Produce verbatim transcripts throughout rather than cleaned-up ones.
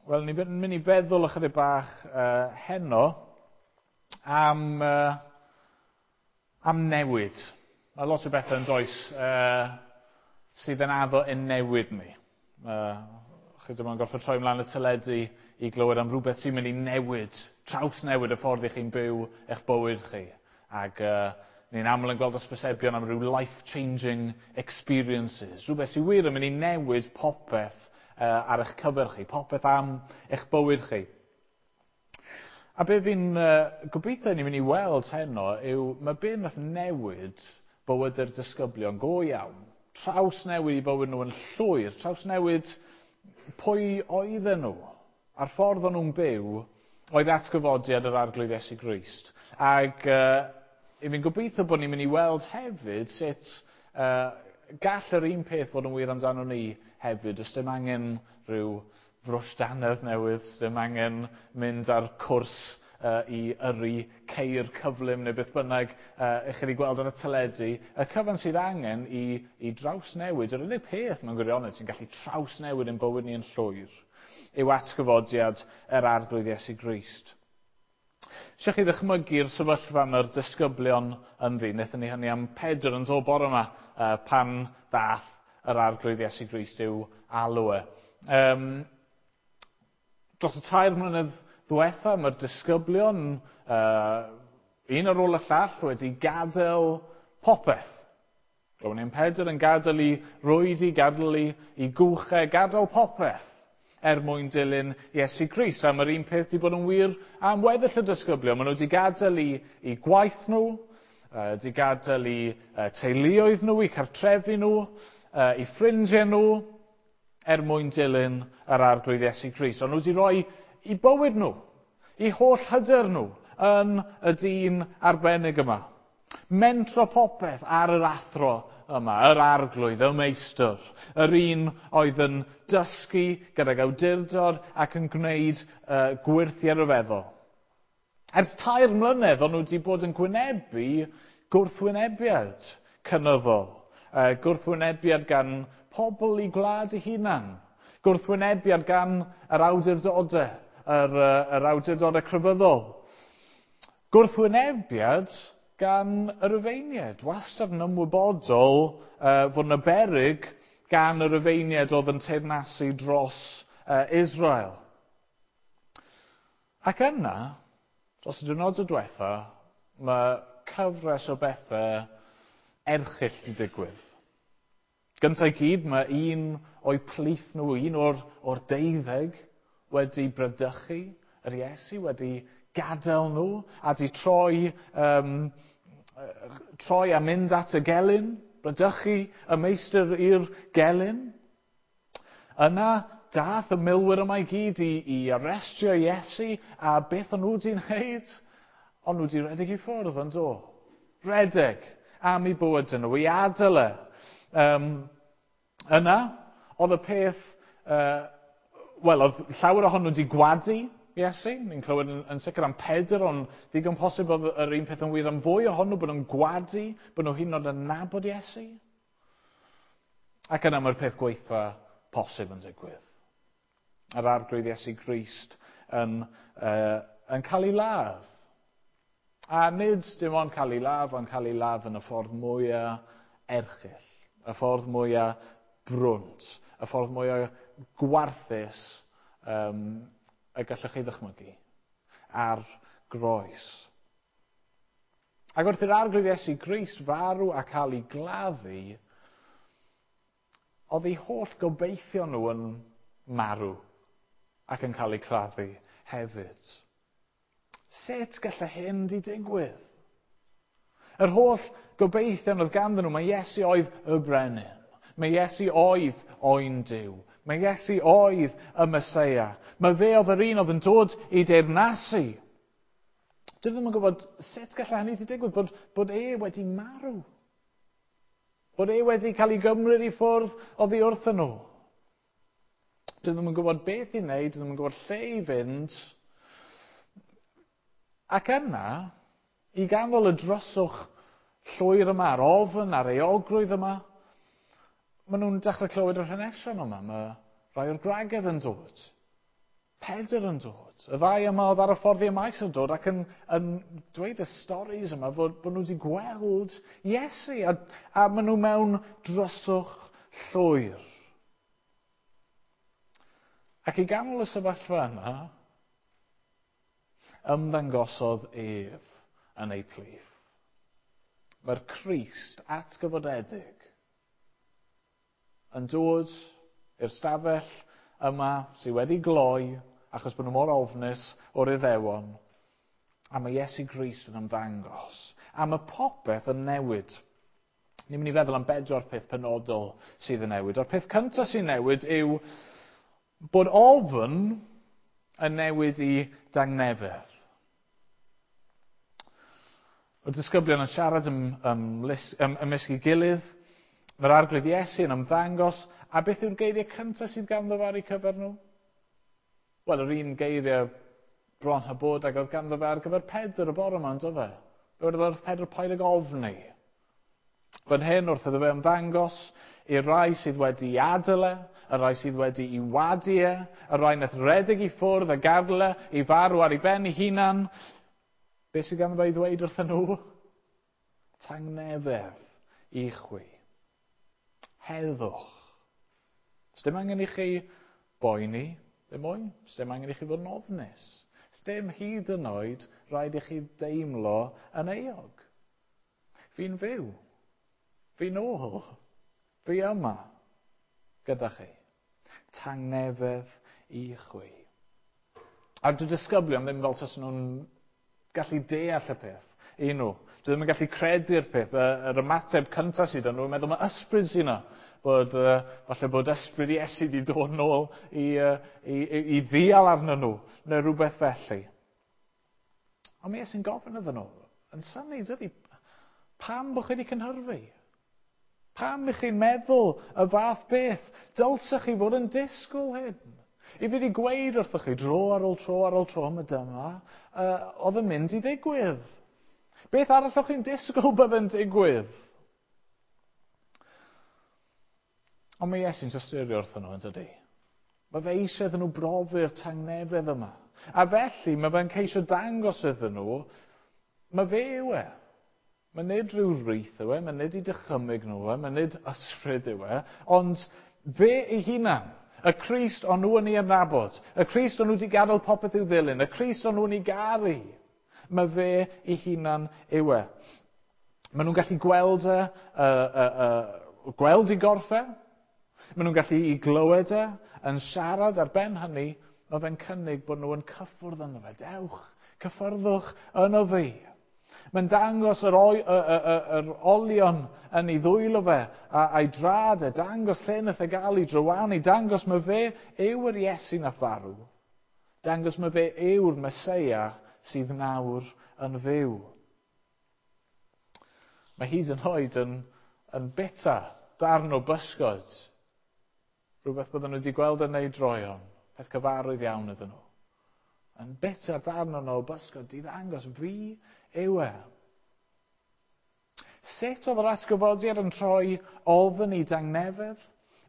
Wel, ni'n mynd i feddwl ychydig bach uh, heno am, uh, am newid. Mae lot o bethau yn does uh, sydd yn addo yn newid ni. Uh, chi ddim yn gorfod troi ymlaen y teledu i glywed am rhywbeth sy'n mynd i newid, trawsnewid y ffordd i chi'n byw eich bywyd chi. Ac uh, ni'n aml yn gweld hysbysebion am ryw life-changing experiences. Rhywbeth sy'n wir yn mynd i newid popeth uh, ar eich cyfer chi, popeth am eich bywyd chi. A be fi'n uh, gobeithio ni'n mynd i weld heno yw mae be nath newid bywyd yr disgyblion go iawn. Trawsnewid i bywyd nhw yn llwyr, trawsnewid pwy oedden nhw a'r ffordd o'n nhw'n byw oedd atgyfodiad yr Arglwydd Iesu Grist. Ac uh, i fi'n gobeithio bod ni'n mynd i weld hefyd sut uh, gall yr un peth fod yn wir amdano ni hefyd. Does dim angen rhyw frwsh dannedd newydd, dim angen mynd ar cwrs uh, i yrru ceir cyflym neu beth bynnag uh, i chi wedi gweld ar y teledu. Y cyfan sydd angen i, i drawsnewid, yr unig peth mewn gwirionedd sy'n gallu trawsnewid yn bywyd ni yn llwyr, yw atgyfodiad yr Arglwydd Iesu Grist. Eisiau chi ddychmygu'r sefyllfa mae'r disgyblion ynddi. Wnaethon ni hynny am Pedr yn dod bore yma uh, pan ddath yr Arglwydd Iesu Grist i'w alw e. Um, dros y tair mlynedd ddiwetha, mae'r disgyblion, uh, un ar ôl y llall, wedi gadael popeth. Roedd ni'n Pedr yn gadael i rwydi, gadael i, i gwchau, gadael popeth er mwyn dilyn Iesu Grist. A mae'r un peth wedi bod yn wir am weddill y disgyblion. Maen nhw wedi gadael i, i gwaith nhw, uh, wedi gadael i uh, teuluoedd nhw, i cartrefi nhw, uh, i ffrindiau nhw, er mwyn dilyn yr Arglwydd Iesu Grist. Ond nhw wedi rhoi i bywyd nhw, i holl hyder nhw yn y dyn arbennig yma. Mentro popeth ar yr athro yma, yr Arglwydd, y meistr, yr un oedd yn dysgu gydag awdurdod ac yn gwneud uh, gwyrthiau rhyfeddol. Ers tair mlynedd, o'n nhw wedi bod yn gwynebu gwrthwynebiad cynyddol. Uh, gwrthwynebiad gan pobl i gwlad eu hunan. Gwrthwynebiad gan yr awdurdodau, yr, uh, yr awdurdodau crefyddol. Gwrthwynebiad gan y Rufeiniaid, wastad yn ymwybodol uh, fod yna beryg gan y Rufeiniaid oedd yn teyrnasu dros uh, Israel. Ac yna, dros y diwrnod y diwetha, mae cyfres o bethau erchyll wedi digwydd. Gyntaf i gyd, mae un o'i plith nhw, un o'r, o'r deuddeg, wedi bradychu yr Iesu, wedi gadael nhw a di troi, um, troi a mynd at y gelyn, bradychu y meistr i'r gelyn. Yna, dath y milwyr yma i gyd i, i arestio Iesu, a beth o'n nhw wedi wneud? O'n nhw wedi redeg i ffwrdd yn do. Redeg am eu bywyd nhw, i adael e. Um, yna, oedd y peth, uh, wel, oedd llawer ohonyn nhw wedi gwadu Iesu. Ni'n clywed yn, yn sicr am Pedr, ond ddigon posib oedd yr un peth yn wir am fwy ohonyn nhw, bod nhw'n gwadu, bod nhw hyd yn oed yn nabod Iesu. Ac yna mae'r peth gweitha posib yn digwydd. Yr Arglwydd Iesu Grist yn, uh, yn cael ei ladd. A nid dim ond cael ei ladd, ond cael ei ladd yn y ffordd mwyaf erchyll, y ffordd mwyaf brwnt, y ffordd mwyaf gwarthus um, y gallwch chi ddychmygu ar groes. Ac wrth i'r Arglwydd Iesu Grist farw a cael ei gladdu, oedd eu holl gobeithio nhw yn marw ac yn cael eu claddu hefyd. Sut gallai hyn di digwydd? Yr holl gobeithion oedd ganddyn nhw, mae Iesu oedd y brenin. Mae Iesu oedd oen Duw. Mae Iesu oedd y Meseia. Mae fe oedd yr un oedd yn dod i deyrnasu. Dwi ddim yn gwybod sut gallai hynny di digwydd, bod, bod e wedi marw. Bod e wedi cael ei gymryd i ffwrdd oddi wrthyn nhw. Dwi ddim yn gwybod beth i wneud, dwi ddim yn gwybod lle i fynd. Ac yna, i ganol y dryswch llwyr yma, a'r ofn a'r euogrwydd yma, maen nhw'n dechrau clywed yr hanesion yma. Mae rhai o'r gwragedd yn dod. Pedr yn dod. Y ddau yma oedd ar y ffordd i Emaus yn dod ac yn, yn dweud y storys yma fod, bod nhw wedi gweld Iesu a, a maen nhw mewn dryswch llwyr. Ac i ganol y sefyllfa yna, ymddangosodd ef yn eu plith. Mae'r Crist atgyfodedig yn dod i'r stafell yma sydd wedi gloi achos bod nhw mor ofnus o'r Iddewon, a mae Iesu Grist yn ymddangos. A mae popeth yn newid. Ni'n mynd i feddwl am bedwar peth penodol sydd yn newid. O'r peth cyntaf sy'n newid yw bod ofn yn newid i dangnefedd. Y disgyblion yn siarad ym, ym, ym, ymysg ei gilydd, mae'r Arglwydd Iesu yn ymddangos, a beth yw'r geiriau cyntaf sydd ganddo fe ar eu cyfer nhw? Wel, yr un geiriau bron a bod ag oedd ganddo fe ar gyfer Pedr y bore yma, on'd oedd e? Fe wedodd wrth Pedr, paid ag ofni. Fan hyn, wrth iddo fe ymddangos i'r rai sydd wedi adael e, y rai sydd wedi i wadu e, y rai nath redeg i ffwrdd a gadael e, i farw ar ei ben ei hunan. Beth sydd ganddo fe i ddweud wrthyn nhw? Tangnefedd i chwi. Heddwch. Sdim angen i chi boeni, ddim mwy. Sdim angen i chi fod yn ofnus. Sdim hyd yn oed rhaid i chi deimlo yn euog. Fi'n fyw. Fi'n ôl. Fi yma gyda chi. Tangnefedd i chwi. A dyw'r disgyblion ddim fel tasen nhw'n gallu deall y peth i nhw. Dwi ddim yn gallu credu'r peth. Yr ymateb cyntaf sydd yn nhw yn meddwl mae ysbryd sy'n yna. Bod, uh, falle bod ysbryd Iesu wedi dod nôl i, uh, i, i, i ddial arnyn nhw, neu rhywbeth felly. Ond mae Iesu'n gofyn iddyn nhw, yn synnu, dydy, pam bod chi wedi cynhyrfu? Pam ych chi'n meddwl y fath beth? Dylsech chi fod yn disgwyl hyn. I fi wedi gweud wrthych chi dro ar ôl tro ar ôl tro am y dyma, uh, oedd yn mynd i ddigwydd. Beth arall o'ch chi'n disgwyl bydd yn digwydd? Ond mae Iesu'n tosturio wrthyn nhw, yn dydy? Mae fe eisiau iddyn nhw brofi'r tangnefedd yma. A felly mae fe'n ceisio dangos iddyn nhw, mae fe yw e. Mae nid rhyw wreith yw e, mae nid i dychymyg nhw e, mae nid ysbryd yw e, ond fe ei hunan, y Crist o'n nhw yn ei adnabod, y Crist o'n nhw wedi gadael popeth i'w ddilyn, y Crist o'n nhw yn ei garu, mae fe ei hunan yw e. Maen nhw'n gallu gweld e, uh, uh, uh, gweld ei gorff e, maen nhw'n gallu i glywed e, yn siarad ar ben hynny, mae fe'n cynnig bod nhw yn cyffwrdd yno fe. Dewch, cyffyrddwch yno fi. Mae'n dangos yr, oi, y, y, y, yr olion yn ei ddwylo fe a, a'i drad e, dangos lle nath e gael ei drywanu, dangos mae fe yw yr Iesu nath farw. Dangos mae fe yw'r Meseia sydd nawr yn fyw. Mae hyd yn oed yn, yn bita darn o bysgod. Rhywbeth bydden nhw wedi gweld yn neud droeon, peth cyfarwydd iawn iddyn nhw. Yn bita darn o'n o bysgod, di ddangos fi yw e. Sut oedd yr atgyfodiad yn troi ofn i dangnefedd?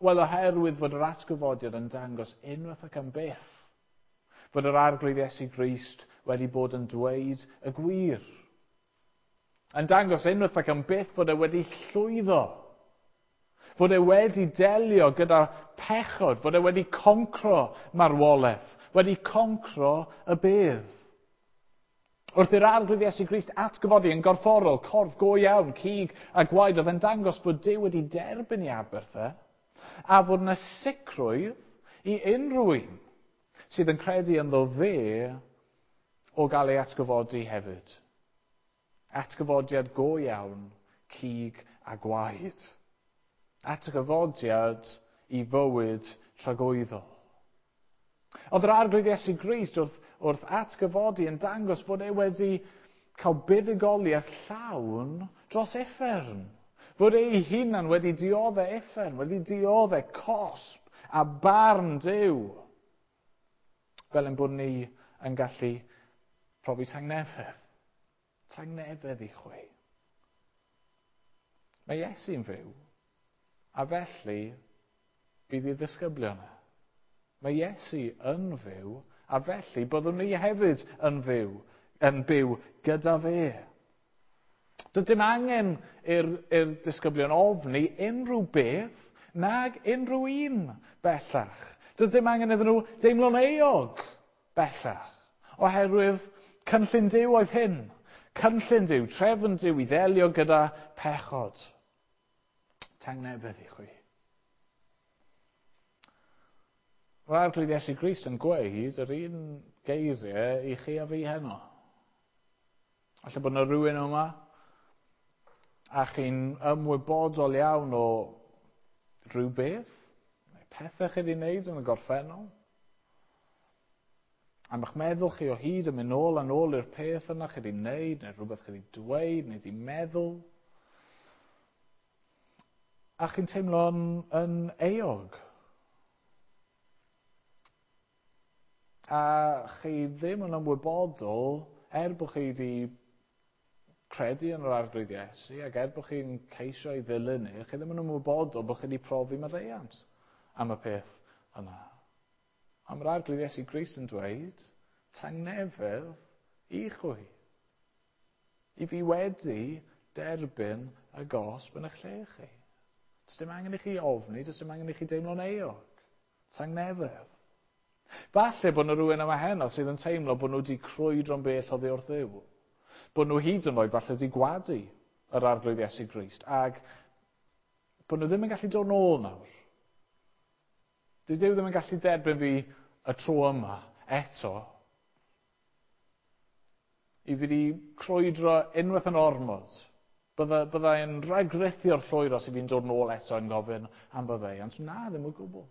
Wel, oherwydd fod yr atgyfodiad yn dangos unwaith ac am byth fod yr Arglwydd Iesu Grist wedi bod yn dweud y gwir. Yn dangos unwaith ac am byth fod e wedi llwyddo. Fod e wedi delio gyda pechod, fod e wedi concro marwolaeth, wedi concro y bedd. Wrth i'r Arglwydd Iesu Grist atgyfodi yn gorfforol, corff go iawn, cig a gwaed, oedd yn dangos bod Duw wedi derbyn ei aberth e, a fod yna sicrwydd i unrhyw un sydd yn credu ynddo fe o gael ei atgyfodi hefyd. Atgyfodiad go iawn, cig a gwaed. Atgyfodiad i fywyd tragwyddol. Oedd yr Arglwydd Iesu Grist wrth, wrth atgyfodi yn dangos bod e wedi cael buddugoliaeth llawn dros uffern. Fod ei hunan wedi dioddef uffern, wedi dioddef cosb a barn Duw. Fel ein bod ni yn gallu profi tangnefedd. Tangnefedd i chwi. Mae Iesu'n fyw, a felly bydd ei ddisgyblion e. Mae Iesu yn fyw, A felly byddwn ni hefyd yn fyw, yn byw gyda fe. Doedd dim angen i'r, i'r disgyblion ofni unrhyw beth nag unrhyw un bellach. Doedd dim angen iddyn nhw deimlo'n euog bellach, oherwydd cynllun Duw oedd hyn. Cynllun Duw, trefn Duw i ddelio gyda pechod. Tangnefedd i chwi. Mae'r Arglwydd Iesu Grist yn gweud yr un geiriau i chi a fi heno. Falle bod yna rhywun yma a chi'n ymwybodol iawn o rhywbeth, neu pethau chi wedi wneud yn y gorffennol. A ma'ch meddwl chi o hyd yn mynd nôl a nôl i'r peth yna chi wedi wneud, neu rhywbeth chi wedi dweud, neu wedi meddwl. A chi'n teimlo'n yn euog. A chi ddim yn ymwybodol, er bod chi wedi credu yn yr Arglwydd Iesu, ac er bod chi'n ceisio ei ddilyn e, chi ddim yn ymwybodol bod chi wedi profi maddeuant am y peth yna. A mae'r Arglwydd Iesu Grist yn dweud, tangnefedd i chwi. I fi wedi derbyn y gosb yn eich lle chi. Does dim angen i chi ofni, does dim angen i chi deimlo'n euog. Tangnefedd. Falle bod yna rhywun yma heno sydd yn teimlo bod nhw wedi crwydro'n bell oddi wrth Dduw. Bod nhw hyd yn oed falle wedi gwadu yr Arglwydd Iesu Grist. Ac bod nhw ddim yn gallu dod nôl nawr. Dyw Duw ddim yn gallu derbyn fi y tro yma eto. I fi wedi crwydro unwaith yn ormod. Bydda, byddai'n rhagrithio'r llwyr os i fi'n dod nôl eto yn gofyn am faddeuant. Na, ddim o gwbl.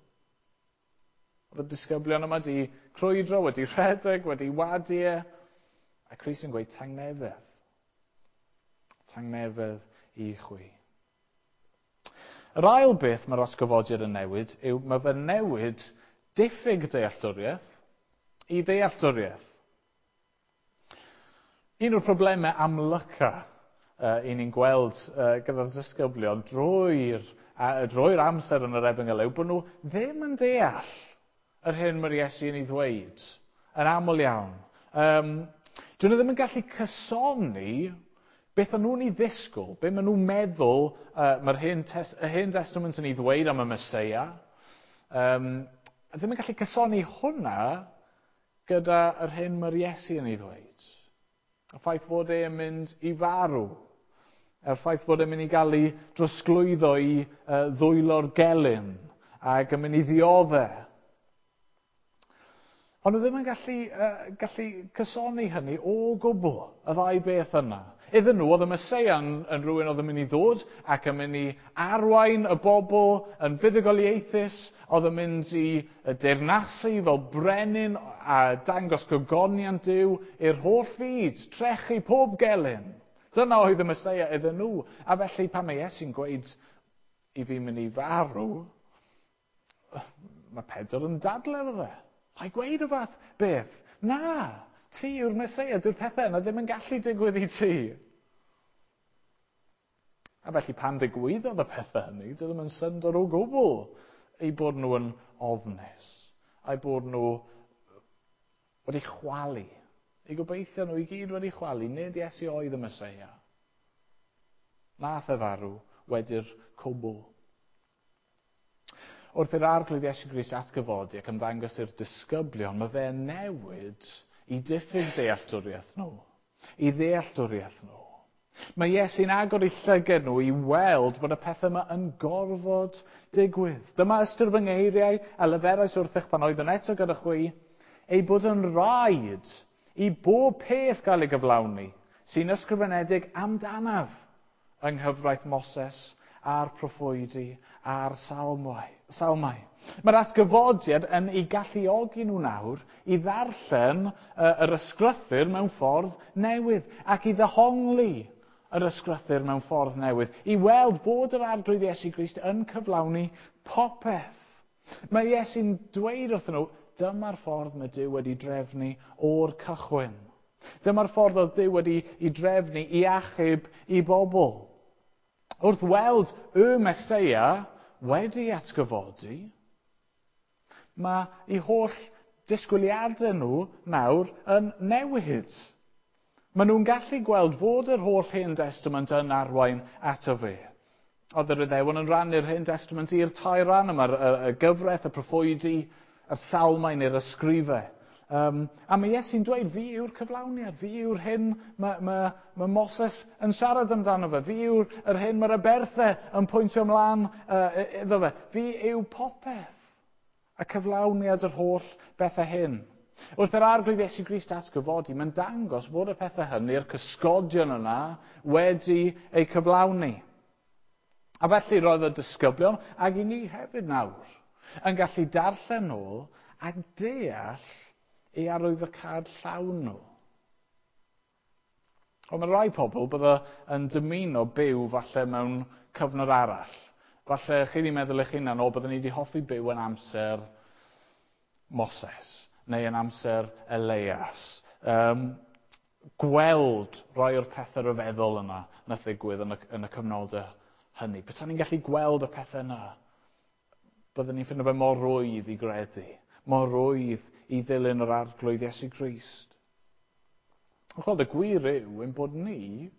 Oedd y disgyblion yma wedi crwydro, wedi rhedeg, wedi wadu e. A Crist yn gweud tangnefedd. Tangnefedd i chwi. Yr ail beth mae'r atgyfodiad yn newid yw mae fe'n newid diffyg dealltwriaeth i ddealltwriaeth. Un o'r problemau amlyca uh, i ni'n gweld uh, gyda'r disgyblion drwy'r, uh, drwy'r amser yn yr Efengyl yw bod nhw ddim yn deall yr hyn mae'r Iesu yn ei ddweud, yn aml iawn. Um, dyn nhw ddim yn gallu cysoni beth o'n nhw'n ei ddisgwyl, beth maen nhw'n meddwl uh, mae'r Hen, tes, y Hen Testament yn ei ddweud am y Meseia. Um, ddim yn gallu cysoni hwnna gyda yr hyn mae'r Iesu yn ei ddweud. Y ffaith fod e'n mynd i farw. Y ffaith fod e'n mynd i gael ei drosglwyddo i uh, ddwylo'r gelyn ac yn mynd i ddioddef. Ond nhw ddim yn gallu, uh, gallu cysoni hynny o gwbl, y ddau beth yna. Iddyn nhw, oedd y Meseia yn, yn rhywun oedd yn mynd i ddod ac yn mynd i arwain y bobl yn fuddugoliaethus, oedd yn mynd i deyrnasu fel brenin a dangos gogoniant Duw i'r holl fyd, trechu pob gelyn. Dyna oedd y Meseia iddyn nhw. A felly pan mae Iesu'n gweud i fi mynd i farw, mae Pedr yn dadle efo fe. Paid gweud o fath beth. Na, ti yw'r Meseia, dyw'r pethau yna ddim yn gallu digwydd i ti. A felly pan ddigwyddodd y pethau hynny, dyw ddim yn syndod o gwbl eu bod nhw yn ofnus, a'u bod nhw wedi chwalu. Eu gobeithio nhw i gyd wedi chwalu, nid Iesu oedd y Meseia. Nath e farw wedi'r cwbl. Wrth i'r Arglwydd Iesu Grist atgyfodi ac ymddangos i'r disgyblion, mae fe'n newid i diffyg dealltwriaeth nhw, i ddealltwriaeth nhw. Mae Iesu'n agor eu llygad nhw i weld bod y pethau yma yn gorfod digwydd. Dyma ystyr fy ngeiriau a leferais wrthych pan oeddwn eto gyda chwi, ei bod yn rhaid i bob peth gael ei gyflawni sy'n ysgrifenedig amdanaf yng nghyfraith Moses a'r proffwydi a'r salmau. salmau. Mae'r atgyfodiad yn ei galluogi nhw nawr i ddarllen yr ysgrythur mewn ffordd newydd ac i ddehongli yr ysgrythur mewn ffordd newydd, i weld bod yr Arglwydd Iesu Grist yn cyflawni popeth. Mae Iesu'n dweud wrthyn nhw, dyma'r ffordd mae Duw wedi drefnu o'r cychwyn. Dyma'r ffordd oedd Duw wedi i drefnu i achub i bobl. Wrth weld y Meseia wedi atgyfodi, mae ei holl disgwyliadau nhw nawr yn newid. Maen nhw'n gallu gweld fod yr holl Hen Testament yn arwain ato fe. Oedd yr Iddewon yn rhannu'r Hen Testament i'r tair ran yma, y, y gyfraith, y proffwydi, y salmau neu'r ysgrifau. Um, a mae Iesu'n dweud, fi yw'r cyflawniad, fi yw'r hyn mae, mae, mae Moses yn siarad amdano fe, fi yw'r yr hyn mae'r aberthau yn pwyntio ymlaen uh, iddo fe, fi yw popeth. A cyflawniad yr holl bethau hyn. Wrth yr Arglwydd Iesu Grist atgyfodi, mae'n dangos bod y pethau hynny'r cysgodion yna wedi eu cyflawni. A felly roedd y disgyblion, ac i ni hefyd nawr, yn gallu darllen nôl a deall ei arwyddocâd llawn nhw. Ond mae rai pobl bydde yn dymuno byw falle mewn cyfnod arall. Falle chi wedi meddwl eich hunan, o, byddwn ni wedi hoffi byw yn amser Moses neu yn amser Elias. Um, gweld rai o'r pethau rhyfeddol yna nath ddigwydd yn y, yn y cyfnodau hynny. Petai ni'n gallu gweld y pethau yna, byddwn ni'n ffindo fe mor rwydd i gredu, mor rwydd i ddilyn yr Arglwydd Iesu Grist. Ond chweld, y gwir yw ein bod ni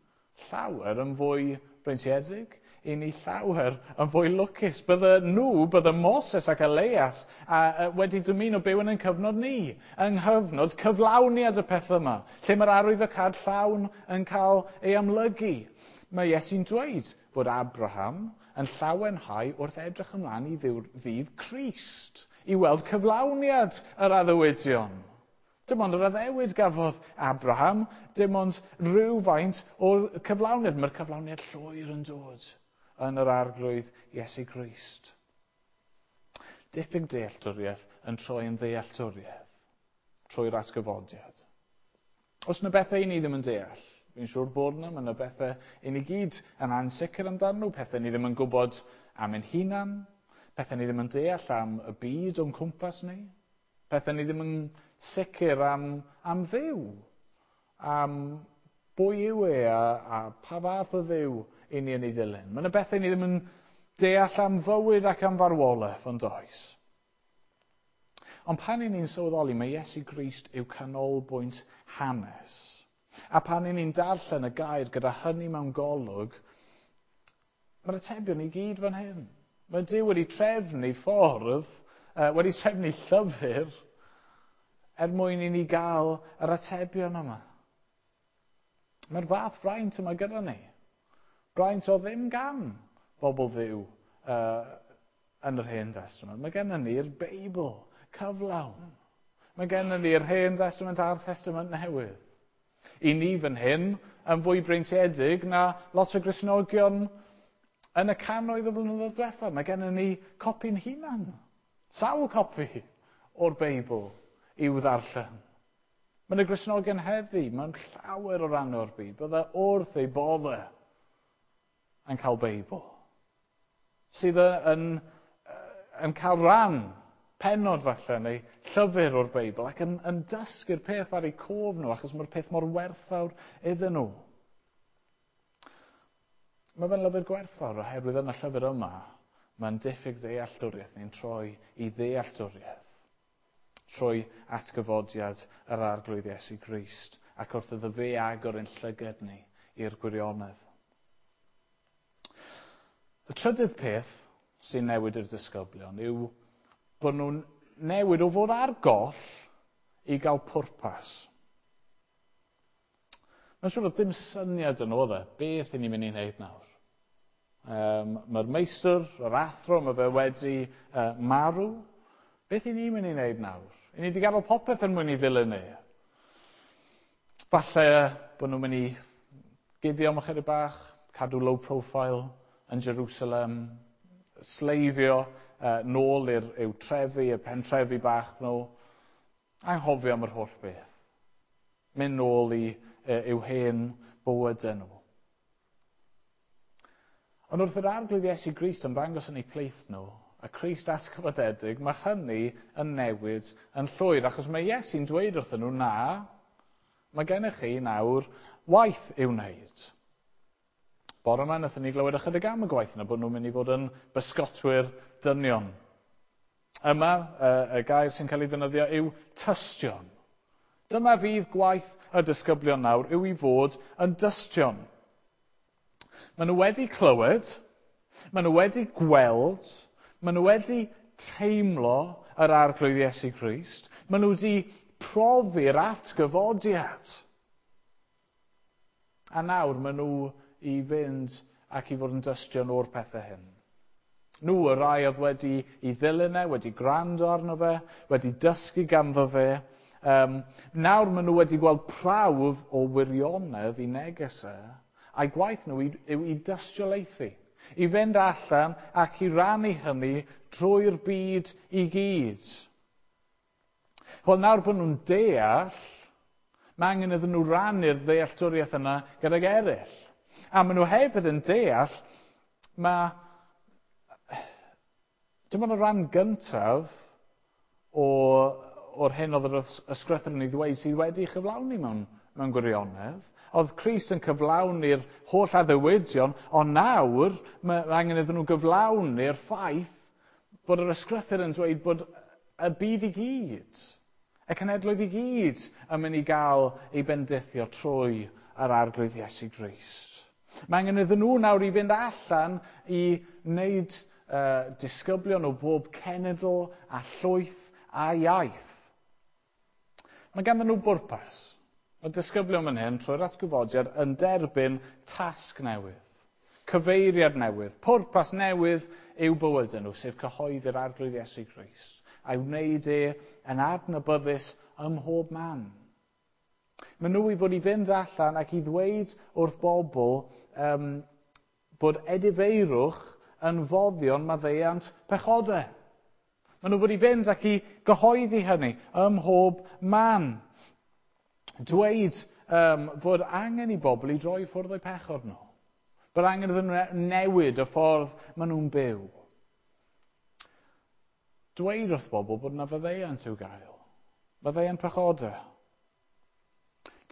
llawer yn fwy breintiedig, i ni llawer yn fwy lwcus. Bydde nhw, bydde Moses ac Elias a, a, wedi dymuno byw yn ein cyfnod ni, yng nghyfnod cyflawniad y peth yma, lle mae'r arwyddocâd llawn yn cael ei amlygu. Mae Iesu'n dweud bod Abraham yn llawenhau wrth edrych ymlaen i ddydd Crist, i weld cyflawniad yr addewidion. Dim ond yr addewid gafodd Abraham, dim ond rhywfaint o'r cyflawniad. Mae'r cyflawniad llwyr yn dod yn yr Arglwydd Iesu Grist. Diffyg dealltwriaeth yn troi yn ddealltwriaeth trwy'r atgyfodiad. Os yna bethau i ni ddim yn deall, fi'n siŵr bod yna, mae yna bethau i ni gyd yn ansicr amdano nhw, pethau ni ddim yn gwybod am ein hunan, pethau ni ddim yn deall am y byd o'n cwmpas ni, pethau ni ddim yn sicr am, am Dduw, am bwy yw e a, a pa fath o Dduw i ni yn ei ddilyn. Mae yna bethau ni ddim yn deall am fywyd ac am farwolaeth, ond oes. Ond pan i ni'n sylweddoli, mae Iesu Grist yw canolbwynt hanes. A pan i ni'n darllen y gair gyda hynny mewn golwg, mae'r atebion i gyd fan hyn. Mae Duw wedi trefnu ffordd, uh, wedi trefnu llyfr, er mwyn i ni gael yr atebion yma. Mae'r fath fraint yma gyda ni. Braint o ddim gan bobl Dduw uh, yn yr Hen Testament. Mae gennym ni'r Beibl cyflawn. Mae gennym ni'r Hen Testament a'r Testament Newydd. I ni fan hyn yn fwy breintiedig na lot o Gristnogion yn y cannoedd o flynyddoedd diwethaf. Mae gennym ni copi'n hunan. Sawl copi o'r Beibl i'w ddarllen. Mae yna Gristnogion heddi mewn llawer o ran o'r byd. Bydde wrth ei boddau yn cael Beibl. Sydd yn, yn cael rhan, pennod falle, neu llyfr o'r Beibl, ac yn, yn dysgu'r peth ar eu cof nhw, achos mae'r peth mor werthfawr iddyn nhw. Mae fe'n lyfr gwerthfawr oherwydd yn y llyfr yma, mae'n diffyg ddealltwriaeth ni'n troi i ddealltwriaeth trwy atgyfodiad yr Arglwydd Iesu Grist ac wrth iddo fe agor ein llygad ni i'r gwirionedd. Y trydydd peth sy'n newid i'r disgyblion yw bod nhw'n newid o fod ar goll i gael pwrpas. Mae'n siŵr bod dim syniad yn oedd e, beth i ni'n mynd i wneud nawr. Um, mae'r meistr, yr athro, mae fe wedi uh, marw. Beth i ni'n mynd i wneud nawr? I ni wedi gadael popeth yn mwyn i ddilyn ni. Falle bod nhw'n mynd i guddio am ychydig bach, cadw low profile yn Jerusalem, sleifio uh, nôl i'r i'w trefi, y pentrefi bach nhw, anghofio am yr holl beth. Mynd nôl i uh, i'w hen bywydau nhw. Ond wrth yr Arglwydd Iesu Grist yn ddangos yn eu plith nhw, a Crist atgyfodedig, mae hynny yn newid yn llwyr, achos mae Iesu'n dweud wrthyn nhw, na, mae gennych chi nawr waith i'w wneud. Bore yma, wnaethon ni glywed ychydig am y gwaith yna, bod nhw'n mynd i fod yn bysgotwyr dynion. Yma, y gair sy'n cael ei ddefnyddio yw tystion. Dyma fydd gwaith y disgyblion nawr yw i fod yn dystion. Maen nhw wedi clywed, maen nhw wedi gweld, maen nhw wedi teimlo yr Arglwydd Iesu Grist, maen nhw wedi profi'r atgyfodiad. A nawr maen nhw i fynd ac i fod yn dystion o'r pethau hyn. Nhw, y rai oedd wedi i ddilyn e, wedi gwrando arno fe, wedi dysgu ganddo fe. Um, nawr maen nhw wedi gweld prawf o wirionedd i neges e, a'i gwaith nhw yw i dystiolaethu, i fynd allan ac i rannu hynny drwy'r byd i gyd. Wel, nawr bod nhw'n deall, mae angen iddyn nhw rannu'r ddealltwriaeth yna gydag eraill. A maen nhw hefyd yn deall, mae dim ond y rhan gyntaf o, o'r hyn oedd yr ysgrythur yn ei ddweud sydd wedi chyflawni mewn, mewn gwirionedd. Oedd Crist yn cyflawni'r holl addewidion, ond nawr mae angen iddyn nhw gyflawni'r ffaith bod yr ysgrythur yn dweud bod y byd i gyd, y cenhedloedd i gyd yn mynd i gael ei bendithio trwy yr Arglwydd Iesu Grist. Mae angen iddyn nhw nawr i fynd allan i wneud Uh, disgyblion o bob cenedl a llwyth a iaith. Mae ganddyn nhw bwrpas. Mae disgyblion fan hyn trwy'r atgyfodiad yn derbyn tasg newydd, cyfeiriad newydd, pwrpas newydd i'w bywydau nhw, sef cyhoeddi'r Arglwydd Iesu Grist, a'i wneud e yn adnabyddus ym mhob man. Maen nhw i fod i fynd allan ac i ddweud wrth bobl um, bod edifeirwch yn foddion maddeuant pechodau. Maen nhw fod i fynd ac i gyhoeddi hynny ym mhob man. Dweud um, fod angen i bobl i droi ffwrdd o'u pechod nhw. Bod angen iddyn nhw newid y ffordd maen nhw'n byw. Dweud wrth bobl bod yna faddeuant i'w gael. Maddeuant pechodau.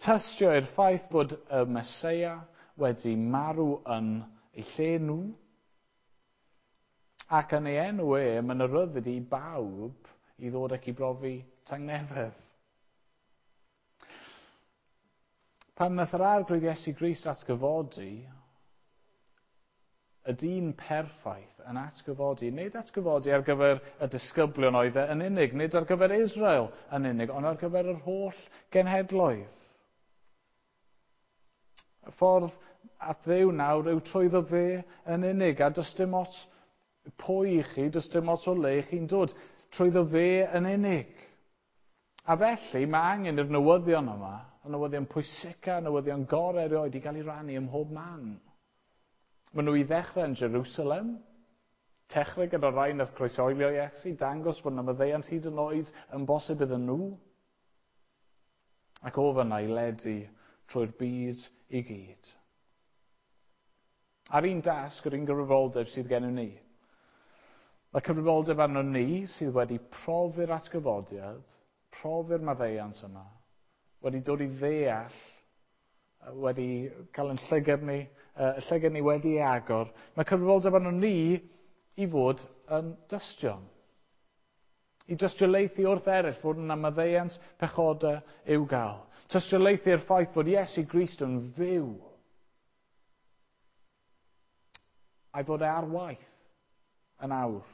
Tystio i'r ffaith bod y Meseia wedi marw yn eu lle nhw. Ac yn ei enw e, mae'n y ryddid i bawb i ddod ac i brofi tangnefedd. Pan nath yr Arglwydd Iesu Grist atgyfodi, y dyn perffaith yn atgyfodi, nid atgyfodi ar gyfer y disgyblion oedd e yn unig, nid ar gyfer Israel yn unig, ond ar gyfer yr holl genhedloedd. Y ffordd at Dduw nawr yw trwyddo fe yn unig, a does dim ots pwy i chi, does dim ots o le chi'n dod, trwyddo fe yn unig. A felly mae angen i'r newyddion yma, y newyddion pwysica, y newyddion gorau erioed i gael ei rannu ym mhob man. Maen nhw i ddechrau yn Jerusalem, dechrau gyda rai nath croeshoelio Iesu, dangos bod yna maddeuant hyd yn oed yn bosib iddyn nhw, ac o fyna i ledu trwy'r byd i gyd. A'r un dasg, yr un gyfrifoldeb sydd gennym ni. Mae cyfrifoldeb arno ni sydd wedi profi'r atgyfodiad, profi'r maddeuant yma, wedi dod i ddeall, wedi cael yn llygad ni, y llygad ni wedi ei agor. Mae cyfrifoldeb arno ni i fod yn dystion. I dystiolaethu wrth eraill fod yna maddeuant pechodau i'w gael. Tystiolaethu'r ffaith fod Iesu Grist yn fyw. A'i fod e ar waith yn awr.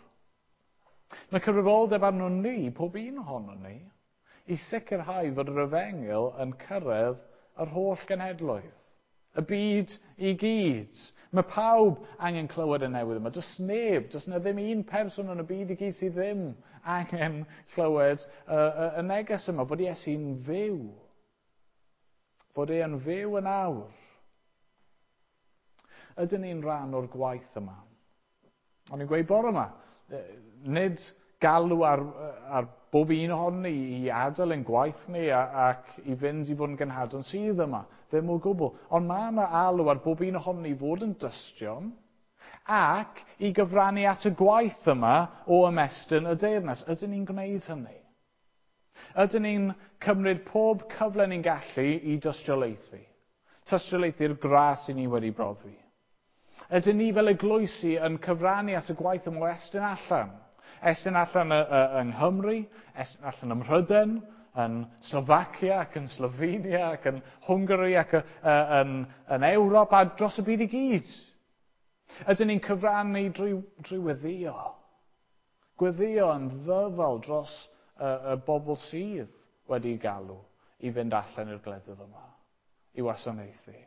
Mae cyfrifoldeb arno ni, pob un ohono ni, i sicrhau fod yr efengyl yn cyrraedd yr holl genhedloedd, y byd i gyd. Mae pawb angen clywed y newydd yma. Does neb, does na ddim un person yn y byd i gyd sydd ddim angen clywed y, y, y neges yma, fod Iesu'n fyw. Fod e'n fyw yn awr. Ydyn ni'n rhan o'r gwaith yma? O'n i'n gweud bore yma, nid galw ar, ar bob un ohonon ni i adael ein gwaith ni a, ac i fynd i fod yn genhadon sydd yma, ddim o gwbl. Ond mae yna alw ar bob un ohonon ni fod yn dystion ac i gyfrannu at y gwaith yma o ymestyn y deyrnas. Ydyn ni'n gwneud hynny? Ydyn ni'n cymryd pob cyfle ni'n gallu i dystiolaethu? Tystiolaethu'r gras i ni wedi brofi. Ydyn ni fel eglwysi yn cyfrannu at y gwaith yma o estyn allan? Estyn allan yng Nghymru, estyn allan ym Mhrydain, yn Slofacia ac yn Slovenia ac yn Hwngari ac yn, yn Ewrop a dros y byd i gyd. Ydyn ni'n cyfrannu drwy, drwy weddïo? Gweddio yn ddyfal dros y, y bobl sydd wedi galw i fynd allan i'r gwledydd yma, i wasanaethu.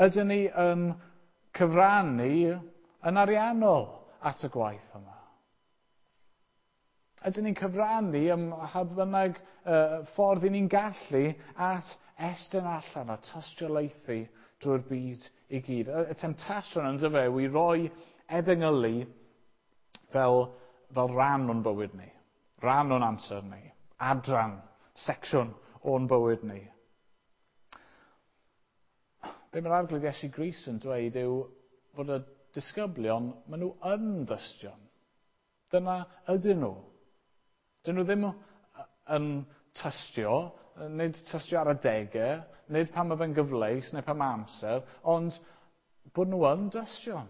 Ydyn ni yn cyfrannu yn ariannol at y gwaith yma? Ydyn ni'n cyfrannu ym mha bynnag uh, ffordd i ni'n gallu at estyn allan a tystiolaethu drwy'r byd i gyd? Y, y temtasiwn yn dyfe yw i roi efengylu fel, fel rhan o'n bywyd ni, rhan o'n amser ni, adran, secsiwn o'n bywyd ni. Be mae'r Arglwydd Iesu Grist yn dweud yw fod y disgyblion, maen nhw yn dystion. Dyna ydyn nhw. Dyn nhw ddim yn tystio, nid tystio ar adegau, nid pan mae fe'n gyfleus neu pan mae amser, ond bod nhw yn dystion,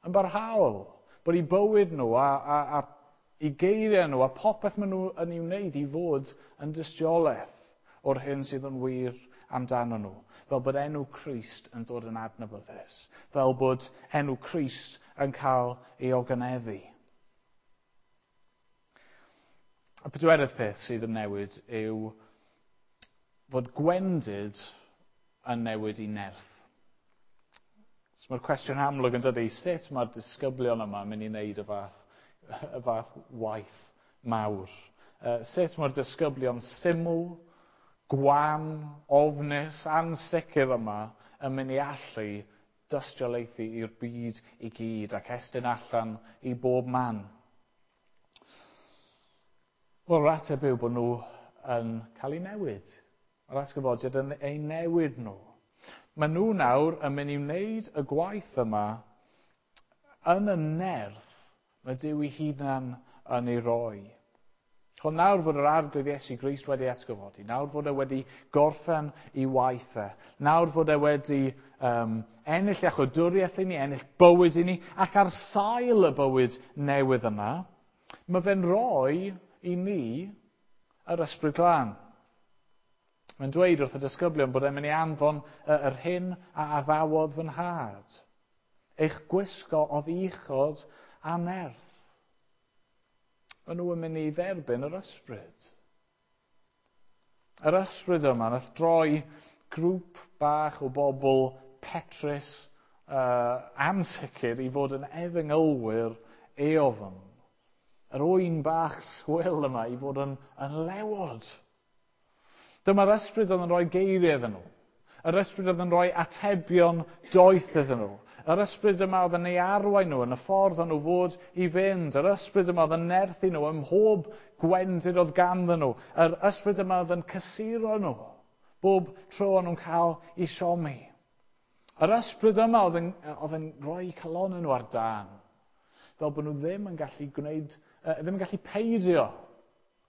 yn barhaol. Bod eu bywyd nhw a, a, a eu geiriau nhw a popeth maen nhw yn ei wneud i fod yn dystiolaeth o'r hyn sydd yn wir amdano nhw. Fel bod enw Crist yn dod yn adnabyddus. Fel bod enw Crist yn cael ei ogoneddu. Y pedwerydd peth sydd yn newid yw fod gwendid yn newid i nerth. So mae'r cwestiwn amlwg yn dod i sut mae'r disgyblion yma yn mynd i wneud y fath, y fath waith mawr. Uh, sut mae'r disgyblion syml, gwan, ofnus, ansicr yma yn mynd i allu dystiolaethu i'r byd i gyd ac estyn allan i bob man. Wel, yr ateb yw bod nhw yn cael eu newid. Mae'r atgyfodiad yn eu newid nhw. Maen nhw nawr yn mynd i wneud y gwaith yma yn y nerth mae Duw ei hunan yn ei roi. Ond nawr fod yr Arglwydd Iesu Grist wedi atgyfodi, nawr fod e wedi gorffen ei waith e, nawr fod e wedi um, ennill iachawdwriaeth i ni, ennill bywyd i ni, ac ar sail y bywyd newydd yma, mae fe'n rhoi i ni yr Ysbryd Glân. Mae'n dweud wrth y disgyblion bod e'n mynd i anfon yr hyn a addawodd fy nhad. Eich gwisgo oddi uchod a nerth. Maen nhw yn mynd i dderbyn yr ysbryd. Yr ysbryd yma nath droi grŵp bach o bobl petrus, uh, ansicr i fod yn efengylwyr eofn. Yr oen bach swil yma i fod yn, yn lewod. Dyma'r ysbryd oedd yn rhoi geiriau iddyn nhw. Yr ysbryd oedd yn rhoi atebion doeth iddyn nhw. Yr ysbryd yma oedd yn ei arwain nhw yn y ffordd o'n nhw fod i fynd. Yr ysbryd yma oedd yn nerthu nhw ym mhob gwendid oedd ganddyn nhw. Yr ysbryd yma oedd yn cysuro nhw bob tro o'n nhw'n cael eu siomi. Yr ysbryd yma oedd yn, oedd yn rhoi calonnau nhw ar dân. Fel bod nhw ddim yn gallu gwneud, ddim yn gallu peidio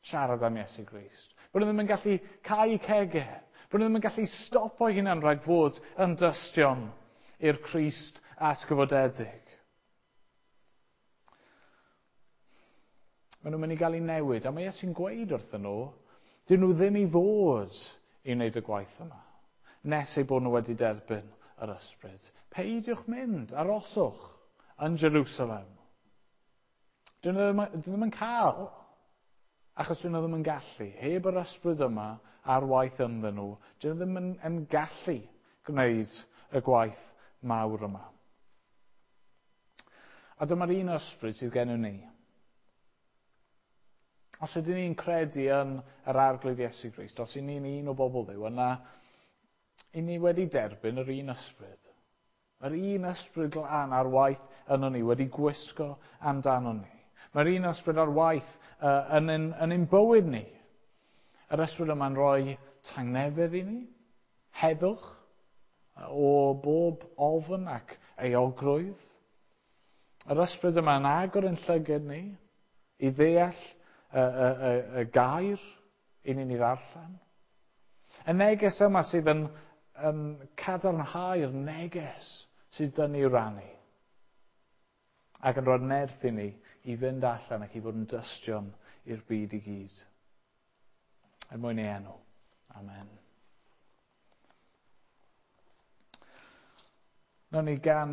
siarad am Iesu Grist. Bod nhw ddim yn gallu cau cegau. Bod nhw ddim yn gallu stopo hunan rhag fod yn dystion i'r Crist atgyfodedig. Maen nhw'n mynd i gael eu newid, a mae Iesu'n gweud wrthyn nhw, dyn nhw ddim i fod i wneud y gwaith yma, nes eu bod nhw wedi derbyn yr ysbryd. Peidiwch mynd, aroswch yn Jerusalem. Dyn nhw ddim, dyn nhw ddim yn cael, achos dyn nhw ddim yn gallu. Heb yr ysbryd yma ar waith ynddyn nhw, dyn nhw ddim yn, yn gallu gwneud y gwaith mawr yma. A dyma'r un ysbryd sydd gennym ni. Os ydyn ni'n credu yn yr Arglwydd Iesu Grist, os ydyn ni'n un o bobl Dduw, yna i ni wedi derbyn yr un ysbryd. Yr un ysbryd glân ar waith yno ni, wedi gwisgo amdano ni. Mae'r un ysbryd ar waith uh, yn, yn, yn ein bywyd ni. Yr ysbryd yma'n rhoi tangnefedd i ni, heddwch, o bob ofn ac euogrwydd. Yr ysbryd yma'n agor yn llygad ni i ddeall y, y, y, y gair i ni'n ei ddarllen. Y neges yma sydd yn, yn cadarnhau'r neges sydd dyn ni rannu ac yn rhoi nerth i ni i i fynd allan ac i fod yn dystion i'r byd i gyd. Er mwyn ei enw. Amen. Nawn ni ganu